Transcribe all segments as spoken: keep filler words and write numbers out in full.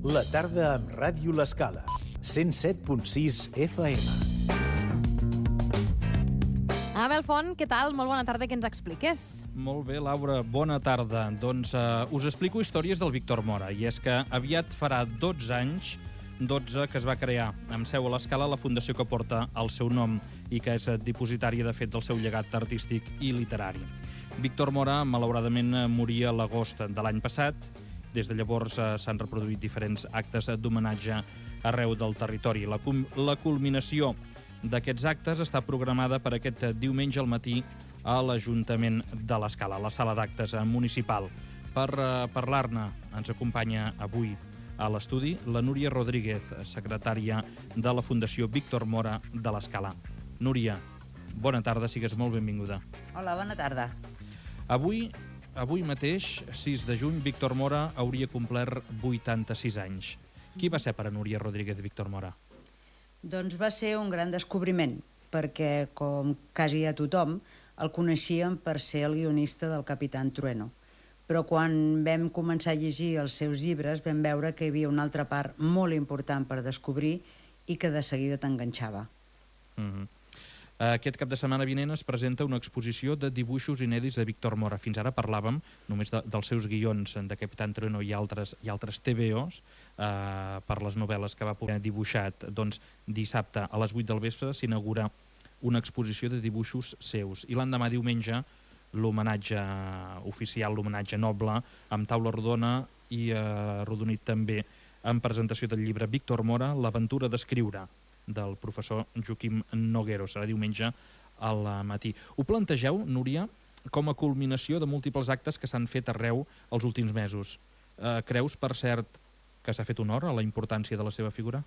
La tarda amb Ràdio L'Escala, cent set punt sis F M. Abel Font, què tal? Molt bona tarda, que ens expliques. Molt bé, Laura, bona tarda. Doncs uh, us explico històries del Víctor Mora, i és que aviat farà dotze anys, dotze, que es va crear amb seu a l'Escala la fundació que porta el seu nom i que és dipositària, de fet, del seu llegat artístic i literari. Víctor Mora, malauradament, moria a l'agost de l'any passat. Des de llavors uh, s'han reproduït diferents actes d'homenatge arreu del territori. La, la culminació d'aquests actes està programada per aquest diumenge al matí a l'Ajuntament de l'Escala, a la sala d'actes municipal. Per uh, parlar-ne ens acompanya avui a l'estudi la Núria Rodríguez, secretària de la Fundació Víctor Mora de l'Escala. Núria, bona tarda, sigues molt benvinguda. Hola, bona tarda. Avui, avui mateix, sis de juny, Víctor Mora hauria complert vuitanta-sis anys. Qui va ser per a Núria Rodríguez Víctor Mora? Doncs va ser un gran descobriment, perquè, com quasi a tothom, el coneixíem per ser el guionista del Capitán Trueno. Però quan vam començar a llegir els seus llibres vam veure que hi havia una altra part molt important per descobrir i que de seguida t'enganxava. Mm-hmm. Aquest cap de setmana vinent es presenta una exposició de dibuixos inèdits de Víctor Mora. Fins ara parlàvem només de, dels seus guions de Capitán Trueno i altres, i altres T V Os eh, per les novel·les que va poder dibuixat. Doncs dissabte a les vuit del vespre s'inaugura una exposició de dibuixos seus. I l'endemà diumenge l'homenatge oficial, l'homenatge noble, amb taula rodona i eh, arrodonit també en presentació del llibre Víctor Mora, l'aventura d'escriure, del professor Joaquim Noguero. Serà diumenge al matí. Ho plantegeu, Núria, com a culminació de múltiples actes que s'han fet arreu els últims mesos. Eh, creus, per cert, que s'ha fet honor a la importància de la seva figura?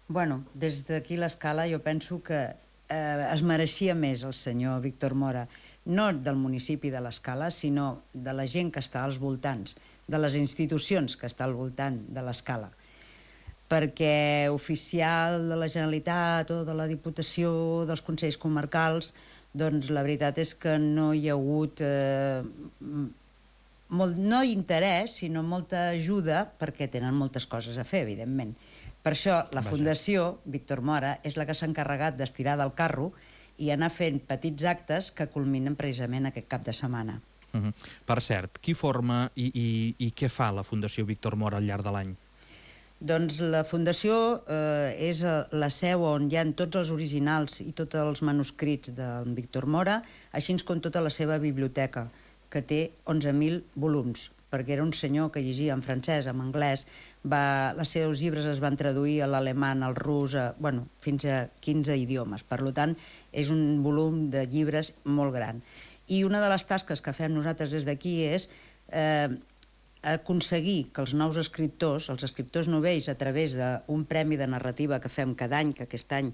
Bueno, des d'aquí l'Escala jo penso que eh, es mereixia més el senyor Víctor Mora, no del municipi de l'Escala, sinó de la gent que està als voltants, de les institucions que està al voltant de l'Escala. Perquè oficial de la Generalitat o de la Diputació, dels Consells Comarcals, doncs la veritat és que no hi ha hagut eh, molt, no interès, sinó molta ajuda, perquè tenen moltes coses a fer, evidentment. Per això la Fundació Víctor Mora és la que s'ha encarregat d'estirar del carro i anar fent petits actes que culminen precisament aquest cap de setmana. Uh-huh. Per cert, qui forma i, i, i què fa la Fundació Víctor Mora al llarg de l'any? Doncs la Fundació eh, és la seu on hi ha tots els originals i tots els manuscrits del Víctor Mora, així com tota la seva biblioteca, que té onze mil volums, perquè era un senyor que llegia en francès, en anglès, va, els seus llibres es van traduir a l'alemany, al rus, a, bueno, fins a quinze idiomes. Per tant, és un volum de llibres molt gran. I una de les tasques que fem nosaltres des d'aquí és eh, aconseguir que els nous escriptors, els escriptors novells, a través d'un premi de narrativa que fem cada any, que aquest any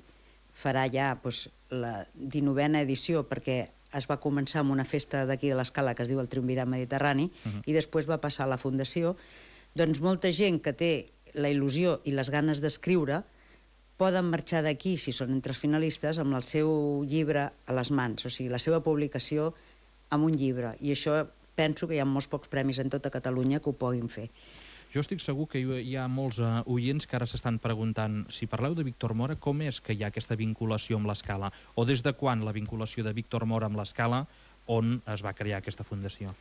farà ja doncs, la dinovena edició, perquè es va començar amb una festa d'aquí de l'Escala que es diu el Triumvirat Mediterrani, uh-huh. i després va passar a la Fundació, doncs molta gent que té la il·lusió i les ganes d'escriure poden marxar d'aquí, si són entre els finalistes, amb el seu llibre a les mans, o sigui, la seva publicació amb un llibre, i això penso que hi ha molts pocs premis en tota Catalunya que ho puguin fer. Jo estic segur que hi ha molts uh, oients que ara s'estan preguntant, si parleu de Víctor Mora, com és que hi ha aquesta vinculació amb l'Escala? O des de quan la vinculació de Víctor Mora amb l'Escala, on es va crear aquesta fundació?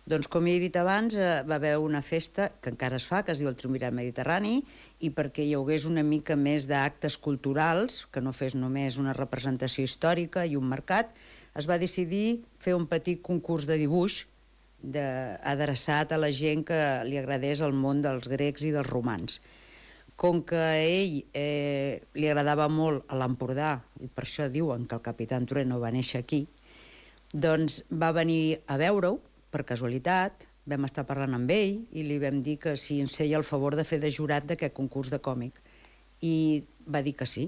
Doncs com he dit abans, eh, va haver una festa que encara es fa, que es diu el Triumvirat Mediterrani, i perquè hi hagués una mica més d'actes culturals, que no fes només una representació històrica i un mercat, es va decidir fer un petit concurs de dibuix de, adreçat a la gent que li agradés el món dels grecs i dels romans. Com que a ell eh, li agradava molt a l'Empordà, i per això diuen que el Capitán Trueno va néixer aquí, doncs va venir a veure-ho, per casualitat, vam estar parlant amb ell i li vam dir que si ens feia el favor de fer de jurat d'aquest concurs de còmic. I va dir que sí.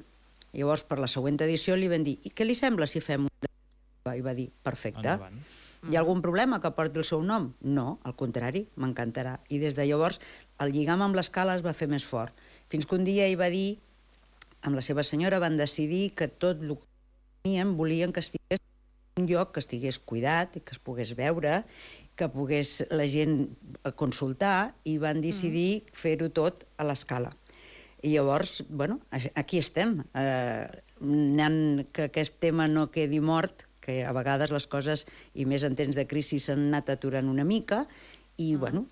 Llavors, per la següent edició li vam dir, i què li sembla si fem un... I va dir, perfecte. Endavant. Hi ha algun problema que porti el seu nom? No, al contrari, m'encantarà. I des de llavors el lligam amb l'Escala es va fer més fort. Fins que un dia ell va dir, amb la seva senyora van decidir que tot el que tenien volien que estigués en un lloc que estigués cuidat i que es pogués veure que pogués la gent consultar i van decidir mm. fer-ho tot a l'escala. I llavors, bueno, aquí estem. Eh, anant que aquest tema no quedi mort, que a vegades les coses, i més en temps de crisi, s'han anat aturant una mica, i, mm. bueno,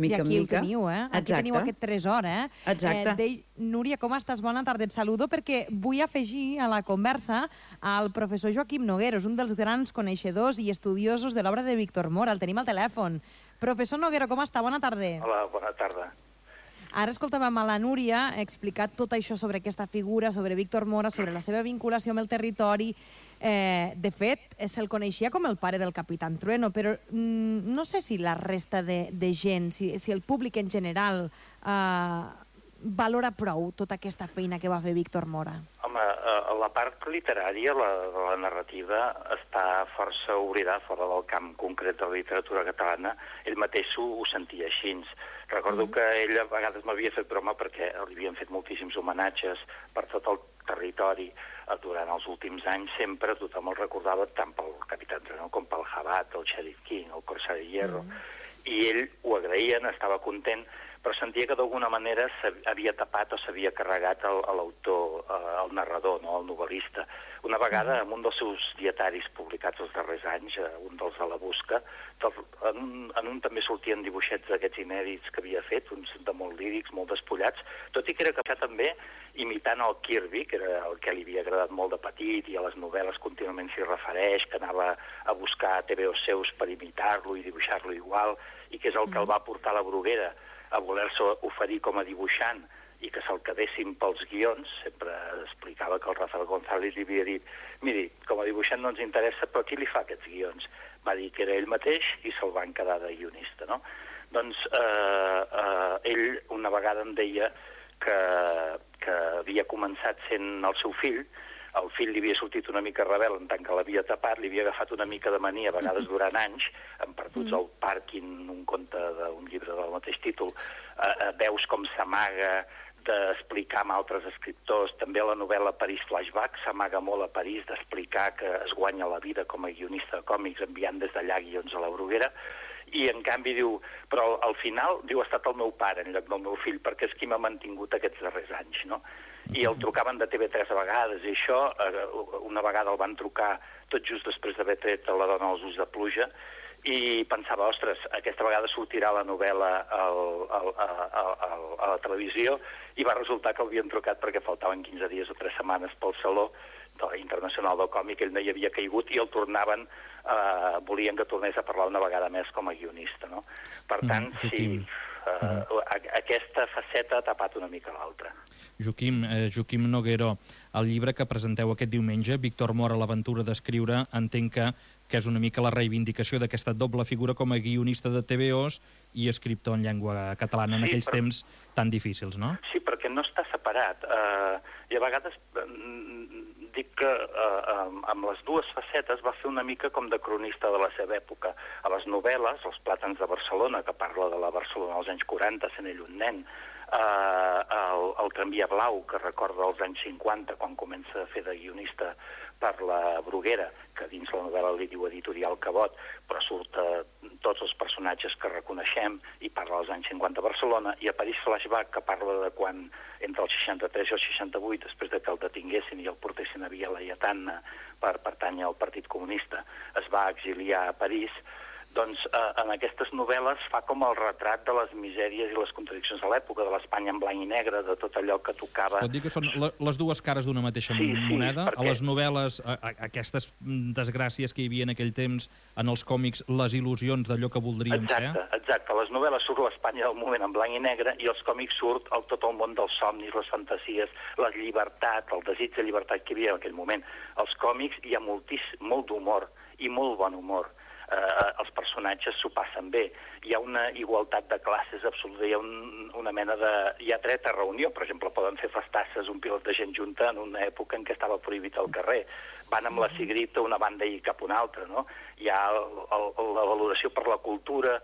mica en mica... I aquí ho teniu, eh? Aquí Exacte. teniu aquest tresor, eh? Exacte. Eh, Dei... Núria, com estàs? Bona tarda, et saludo, perquè vull afegir a la conversa al professor Joaquim Noguero, és un dels grans coneixedors i estudiosos de l'obra de Víctor Mora. El tenim al telèfon. Professor Noguero, com està? Bona tarda. Hola, bona tarda. Ara escoltàvem a la Núria explicar tot això sobre aquesta figura, sobre Víctor Mora, sobre la seva vinculació amb el territori. Eh, de fet, se'l coneixia com el pare del Capitán Trueno, però mm, no sé si la resta de, de gent, si, si el públic en general eh, valora prou tota aquesta feina que va fer Víctor Mora. Home, eh, la part literària, la, la narrativa, està força oblidada fora del camp concret de la literatura catalana. Ell mateix ho, ho sentia així. Recordo mm. que ell a vegades m'havia fet broma perquè li havien fet moltíssims homenatges per tot el territori durant els últims anys. Sempre tothom el recordava tant pel Capitán Trueno com pel Jabat, el Sheriff King, el Corsair de Hierro, mm. i ell ho agraïen, estava content, però sentia que d'alguna manera s'havia tapat o s'havia carregat l'autor, el narrador, no? El novel·lista. Una vegada, en un dels seus dietaris publicats els darrers anys, un dels de la Busca, en un, en un també sortien dibuixets d'aquests inèdits que havia fet, uns de molt lírics, molt despullats, tot i que era capaç també imitant el Kirby, que era el que li havia agradat molt de petit, i a les novel·les contínuament s'hi refereix, que anava a buscar T V Os seus per imitar-lo i dibuixar-lo igual, i que és el que el va portar a la Bruguera a voler-se oferir com a dibuixant i que se'l quedessin pels guions. Sempre explicava que el Rafael González li havia dit: miri, com a dibuixant no ens interessa, però qui li fa aquests guions? Va dir que era ell mateix i se'l van quedar de guionista, no? Doncs eh, eh, ell una vegada em deia que, que havia començat sent el seu fill. El fill li havia sortit una mica rebel en tant que l'havia tapat, li havia agafat una mica de mania, a vegades durant anys, en Perduts al Pàrquing, un conte d'un llibre del mateix títol, eh, veus com s'amaga d'explicar amb altres escriptors. També la novel·la París Flashback s'amaga molt a París d'explicar que es guanya la vida com a guionista de còmics enviant des d'allà guions a la Bruguera. I, en canvi, diu, però al final, diu, ha estat el meu pare en lloc del meu fill, perquè és qui m'ha mantingut aquests darrers anys, no? I el trucaven de T V tres a vegades, i això, una vegada el van trucar tot just després d'haver tret La dona als ulls de pluja, i pensava, ostres, aquesta vegada sortirà la novel·la al, al, al, al, a la televisió, i va resultar que l'havien trucat perquè faltaven quinze dies o tres setmanes pel Saló Internacional del Còmic, ell no hi havia caigut, i el tornaven, eh, volien que tornés a parlar una vegada més com a guionista, no? Per tant, mm, sí, eh, aquesta faceta ha tapat una mica l'altra. Joaquim, eh, Joaquim Noguero, el llibre que presenteu aquest diumenge, Víctor Mora, l'aventura d'escriure, entenc que, que és una mica la reivindicació d'aquesta doble figura com a guionista de T V Os i escriptor en llengua catalana en sí, aquells per... temps tan difícils, no? Sí, perquè no està separat. Uh, I a vegades uh, dic que uh, amb les dues facetes va fer una mica com de cronista de la seva època. A les novel·les, Els plàtans de Barcelona, que parla de la Barcelona als anys quaranta, sent ell un nen, Uh, el, el Tramvia Blau, que recorda els anys cinquanta, quan comença a fer de guionista per la Bruguera, que dins la novel·la li diu Editorial Cabot, però surt uh, tots els personatges que reconeixem i parla dels anys cinquanta a Barcelona, i a París Flashback, que parla de quan entre el seixanta-tres i el seixanta-vuit, després de que el detinguessin i el portessin a Via Laietana per pertànyer al Partit Comunista, es va exiliar a París. Doncs eh, en aquestes novel·les fa com el retrat de les misèries i les contradiccions de l'època, de l'Espanya en blanc i negre, de tot allò que tocava... Pot dir que són les dues cares d'una mateixa sí, moneda? Sí, perquè... A les novel·les, a, a, aquestes desgràcies que hi havia en aquell temps, en els còmics, les il·lusions d'allò que voldríem exacte, ser? Exacte, a les novel·les surt l'Espanya del moment en blanc i negre, i els còmics surt el, tot el món dels somnis, les fantasies, la llibertat, el desig de llibertat que hi havia en aquell moment. Als còmics hi ha moltís, molt d'humor i molt bon humor. Eh, els personatges s'ho passen bé. Hi ha una igualtat de classes absoluta, hi ha un, una mena de... Hi ha dret a reunió, per exemple, poden fer festasses un pilot de gent junta en una època en què estava prohibit al carrer. Van amb la cigrita una banda i cap una altra, no? Hi ha el, el, la valoració per la cultura,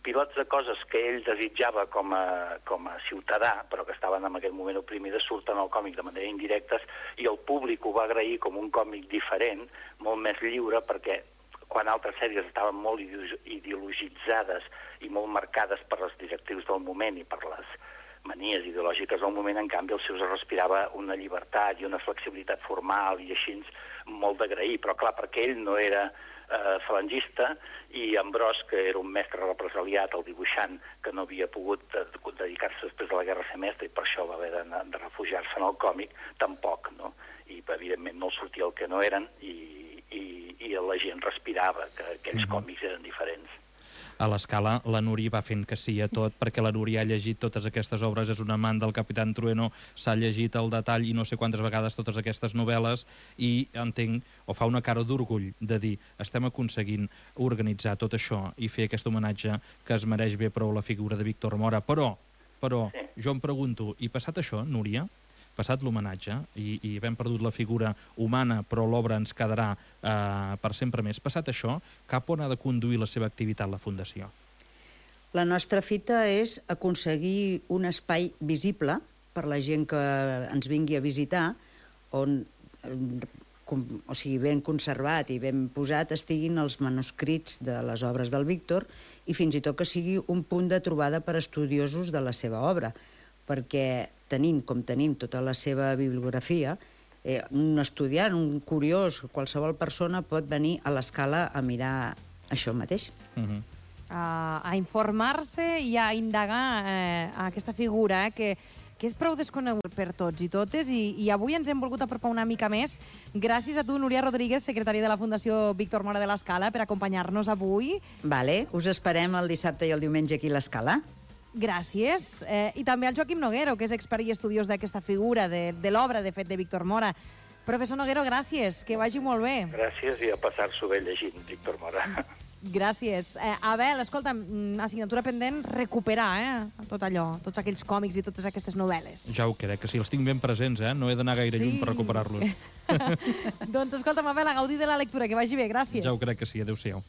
pilots de coses que ell desitjava com a, com a ciutadà, però que estaven en aquell moment oprimides, surten al còmic de manera indirectes, i el públic ho va agrair com un còmic diferent, molt més lliure, perquè quan altres sèries estaven molt ideologitzades i molt marcades per les directrius del moment i per les manies ideològiques del moment, en canvi, els seus es respirava una llibertat i una flexibilitat formal i així molt d'agrair, però clar, perquè ell no era eh, falangista i Ambrós, que era un mestre represaliat, el dibuixant, que no havia pogut dedicar-se després de la guerra a ser mestre i per això va haver de, de refugiar-se en el còmic, tampoc, no? I evidentment no sortia el que no eren i, i, i la gent respirava que aquells mm-hmm. còmics eren diferents. A l'Escala, la Núria va fent que sí a tot, perquè la Núria ha llegit totes aquestes obres, és un amant del Capitán Trueno, s'ha llegit al detall i no sé quantes vegades totes aquestes novel·les, i entenc, o fa una cara d'orgull de dir, estem aconseguint organitzar tot això i fer aquest homenatge que es mereix bé prou la figura de Víctor Mora. Però, però, sí. jo em pregunto, i passat això, Núria, passat l'homenatge, i, i hem perdut la figura humana, però l'obra ens quedarà eh, per sempre més. Passat això, cap on ha de conduir la seva activitat la Fundació? La nostra fita és aconseguir un espai visible per la gent que ens vingui a visitar, on, com, o sigui, ben conservat i ben posat estiguin els manuscrits de les obres del Víctor i fins i tot que sigui un punt de trobada per estudiosos de la seva obra, perquè tenim, com tenim tota la seva bibliografia, eh, un estudiant, un curiós, qualsevol persona pot venir a l'Escala a mirar això mateix. Uh-huh. a, a informar-se i a indagar eh, aquesta figura, eh, que, que és prou desconegut per tots i totes, i, i avui ens hem volgut apropar una mica més gràcies a tu, Núria Rodríguez, secretària de la Fundació Víctor Mora de l'Escala, per acompanyar-nos avui. Vale, us esperem el dissabte i el diumenge aquí a l'Escala. Gràcies. Eh, I també al Joaquim Noguero, que és expert i estudiós d'aquesta figura, de, de l'obra, de fet, de Víctor Mora. Professor Noguero, gràcies, que vagi molt bé. Gràcies i a passar-s'ho bé llegint Víctor Mora. Gràcies. Eh, Abel, escolta, assignatura pendent, recuperar eh, tot allò, tots aquells còmics i totes aquestes novel·les. Ja ho crec, que sí, els tinc ben presents, eh? No he d'anar gaire sí. lluny per recuperar-los. Doncs escolta'm, Abel, a gaudir de la lectura, que vagi bé, gràcies. Ja ho crec que sí, adéu-siau.